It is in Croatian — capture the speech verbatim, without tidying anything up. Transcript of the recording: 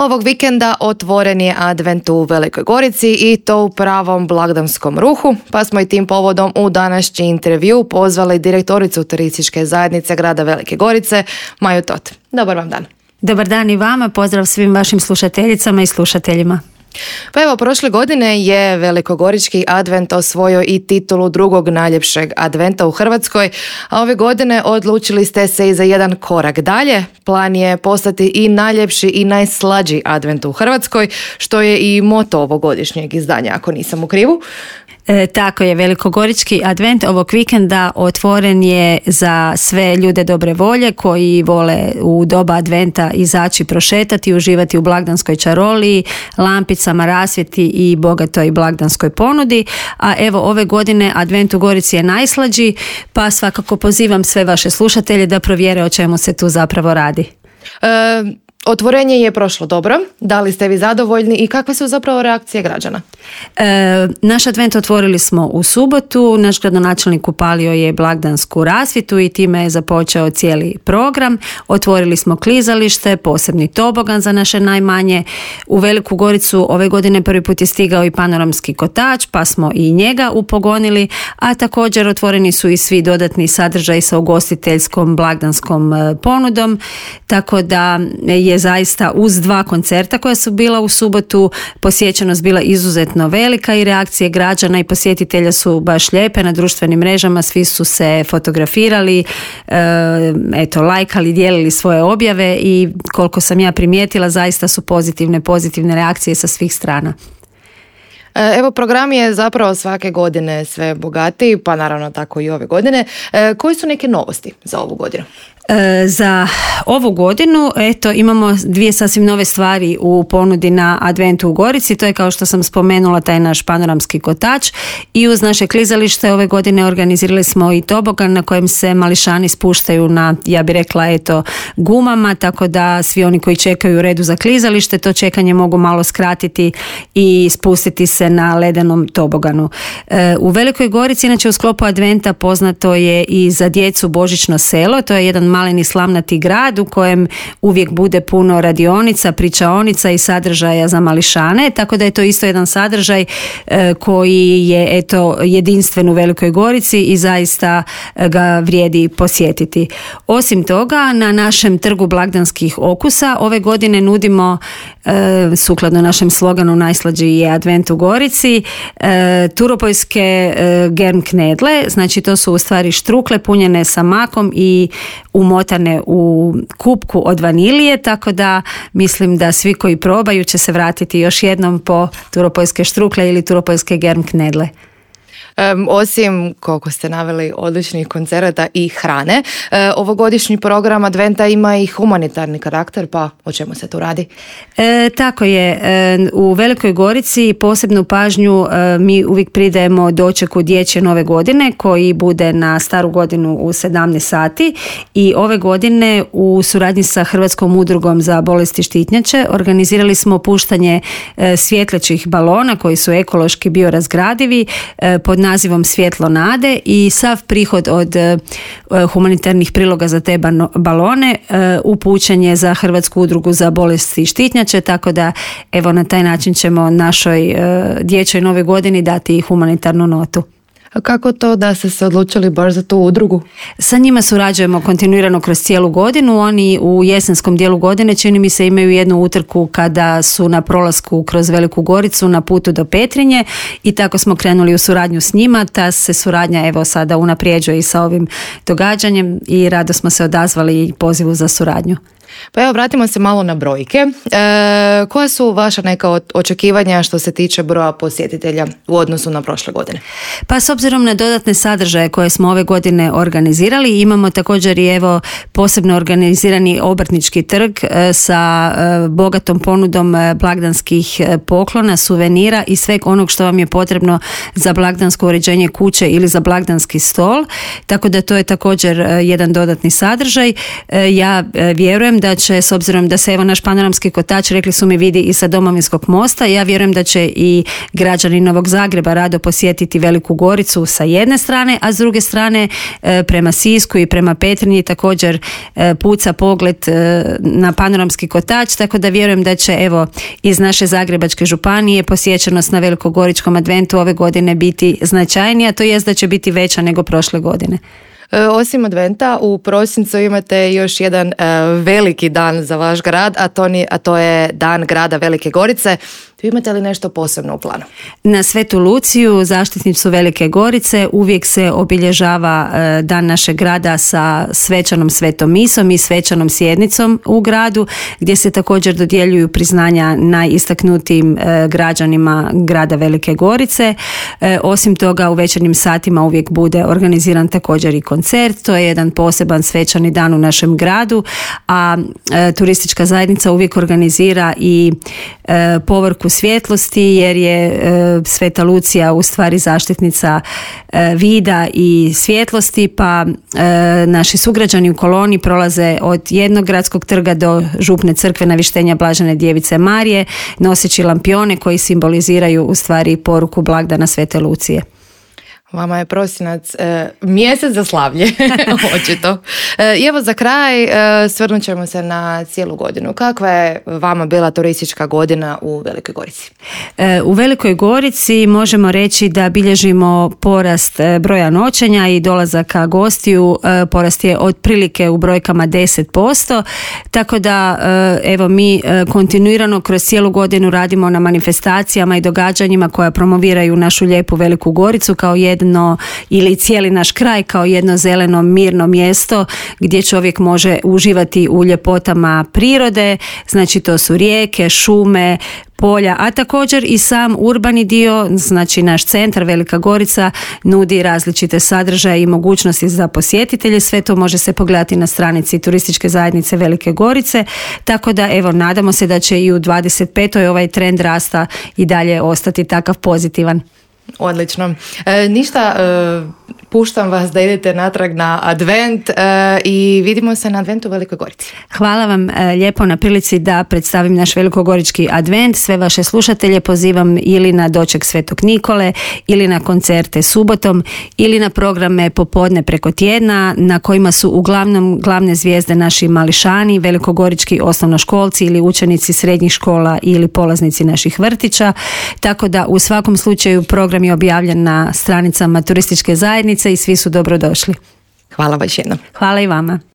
Ovog vikenda otvoren je advent u Velikoj Gorici i to u pravom blagdanskom ruhu, pa smo i tim povodom u današnji intervju pozvali direktoricu turističke zajednice grada Velike Gorice, Maju Tot. Dobar vam dan. Dobar dan i vama, pozdrav svim vašim slušateljicama i slušateljima. Pa evo, prošle godine je velikogorički advent osvojio i titulu drugog najljepšeg adventa u Hrvatskoj, a ove godine odlučili ste se i za jedan korak dalje. Plan je postati i najljepši i najslađi advent u Hrvatskoj, što je i moto ovogodišnjeg izdanja, ako nisam u krivu. E, tako je, velikogorički advent ovog vikenda otvoren je za sve ljude dobre volje koji vole u doba adventa izaći prošetati i uživati u blagdanskoj čaroliji, lampicama, rasvjeti i bogatoj blagdanskoj ponudi. A evo, ove godine advent u Gorici je najslađi, pa svakako pozivam sve vaše slušatelje da provjere o čemu se tu zapravo radi. E... Otvorenje je prošlo dobro. Da li ste vi zadovoljni i kakve su zapravo reakcije građana? E, naš advent otvorili smo u subotu. Naš gradonačelnik upalio je blagdansku rasvjetu i time je započeo cijeli program. Otvorili smo klizalište, posebni tobogan za naše najmanje. U Veliku Goricu ove godine prvi put je stigao i panoramski kotač, pa smo i njega upogonili, a također otvoreni su i svi dodatni sadržaji sa ugostiteljskom blagdanskom ponudom, tako da je je zaista uz dva koncerta koja su bila u subotu posjećenost bila izuzetno velika i reakcije građana i posjetitelja su baš lijepe na društvenim mrežama, svi su se fotografirali, e, eto, lajkali, dijelili svoje objave i koliko sam ja primijetila zaista su pozitivne, pozitivne reakcije sa svih strana. Evo, program je zapravo svake godine sve bogatiji, pa naravno tako i ove godine. E, koji su neke novosti za ovu godinu? E, za ovu godinu eto imamo dvije sasvim nove stvari u ponudi na adventu u Gorici. To je, kao što sam spomenula, taj naš panoramski kotač i uz naše klizalište ove godine organizirali smo i tobogan na kojem se mališani spuštaju na, ja bih rekla, eto, gumama, tako da svi oni koji čekaju u redu za klizalište to čekanje mogu malo skratiti i spustiti se na ledenom toboganu. E, u Velikoj Gorici, inače u sklopu adventa, poznato je i za djecu Božićno selo. To je jedan maleni slamnati grad u kojem uvijek bude puno radionica, pričaonica i sadržaja za mališane, tako da je to isto jedan sadržaj e, koji je eto jedinstven u Velikoj Gorici i zaista ga vrijedi posjetiti. Osim toga, na našem trgu blagdanskih okusa ove godine nudimo, e, sukladno našem sloganu najslađi je advent u Gorici, e, turopoljske e, germ knedle, znači to su u stvari štrukle punjene sa makom i umotane u kupku od vanilije, tako da mislim da svi koji probaju će se vratiti još jednom po turopoljske štrukle ili turopoljske germ knedle. Um, osim, koliko ste naveli, odličnih koncerata i hrane, e, ovogodišnji program adventa ima i humanitarni karakter, pa o čemu se tu radi? E, tako je, e, u Velikoj Gorici posebnu pažnju e, mi uvijek pridajemo dočeku dječje nove godine koji bude na staru godinu u sedamnaest sati i ove godine u suradnji sa Hrvatskom udrugom za bolesti štitnjače organizirali smo puštanje e, svjetlećih balona koji su ekološki biorazgradivi e, pod nazivom Svjetlo nade i sav prihod od uh, humanitarnih priloga za te bano, balone uh, upućen je za Hrvatsku udrugu za bolesti štitnjače, tako da evo na taj način ćemo našoj uh, dječjoj nove godini dati humanitarnu notu. A kako to da ste se odlučili baš za tu udrugu? Sa njima surađujemo kontinuirano kroz cijelu godinu. Oni u jesenskom dijelu godine, čini mi se, imaju jednu utrku kada su na prolasku kroz Veliku Goricu na putu do Petrinje i tako smo krenuli u suradnju s njima. Ta se suradnja evo sada unaprijeđuje i sa ovim događanjem i rado smo se odazvali pozivu za suradnju. Pa evo, vratimo se malo na brojke. E, koja su vaša neka očekivanja što se tiče broja posjetitelja u odnosu na prošle godine? Pa s obzirom na dodatne sadržaje koje smo ove godine organizirali, imamo također i evo posebno organizirani obrtnički trg e, sa e, bogatom ponudom e, blagdanskih e, poklona, suvenira i sveg onog što vam je potrebno za blagdansko uređenje kuće ili za blagdanski stol. Tako da to je također e, jedan dodatni sadržaj. E, ja e, vjerujem da će, s obzirom da se evo naš panoramski kotač, rekli su mi, vidi i sa Domovinskog mosta, ja vjerujem da će i građani Novog Zagreba rado posjetiti Veliku Goricu sa jedne strane, a s druge strane prema Sisku i prema Petrinji također puca pogled na panoramski kotač, tako da vjerujem da će evo iz naše Zagrebačke županije posjećenost na Velikogoričkom adventu ove godine biti značajnija, to jest da će biti veća nego prošle godine. Osim adventa, u prosincu imate još jedan uh, veliki dan za vaš grad, a to, ni, a to je Dan grada Velike Gorice. Imate li nešto posebno u planu? Na Svetu Luciju, zaštitnicu Velike Gorice, uvijek se obilježava uh, Dan našeg grada sa svečanom svetom misom i svečanom sjednicom u gradu, gdje se također dodjeljuju priznanja najistaknutijim uh, građanima grada Velike Gorice. Uh, osim toga, u večernjim satima uvijek bude organiziran također i koncert. To je jedan poseban svečani dan u našem gradu, a e, turistička zajednica uvijek organizira i e, povorku svjetlosti, jer je e, Sveta Lucija u stvari zaštitnica e, vida i svjetlosti, pa e, naši sugrađani u koloni prolaze od jednog gradskog trga do župne crkve Navištenja Blažene Djevice Marije, noseći lampione koji simboliziraju u stvari poruku blagdana Svete Lucije. Vama je prosinac e, mjesec za slavlje, očito. E, I evo za kraj e, svrnut ćemo se na cijelu godinu. Kakva je vama bila turistička godina u Velikoj Gorici? E, u Velikoj Gorici možemo reći da bilježimo porast broja noćenja i dolazaka gostiju. E, porast je otprilike u brojkama deset posto, tako da e, evo mi e, kontinuirano kroz cijelu godinu radimo na manifestacijama i događanjima koja promoviraju našu lijepu Veliku Goricu kao jednu ili cijeli naš kraj kao jedno zeleno mirno mjesto gdje čovjek može uživati u ljepotama prirode, znači to su rijeke, šume, polja, a također i sam urbani dio, znači naš centar Velika Gorica nudi različite sadržaje i mogućnosti za posjetitelje. Sve to može se pogledati na stranici turističke zajednice Velike Gorice, tako da evo nadamo se da će i u dvadeset petoj ovaj trend rasta i dalje ostati takav pozitivan. Odlično. E, ništa, e, puštam vas da idete natrag na advent e, i vidimo se na adventu u Velikoj Gorici. Hvala vam e, lijepo na prilici da predstavim naš velikogorički advent. Sve vaše slušatelje pozivam ili na doček Svetog Nikole, ili na koncerte subotom, ili na programe popodne preko tjedna na kojima su uglavnom glavne zvijezde naši mališani, velikogorički osnovnoškolci ili učenici srednjih škola ili polaznici naših vrtića. Tako da u svakom slučaju program je objavljen na stranicama turističke zajednice i svi su dobrodošli. Hvala vam još jednom. Hvala i vama.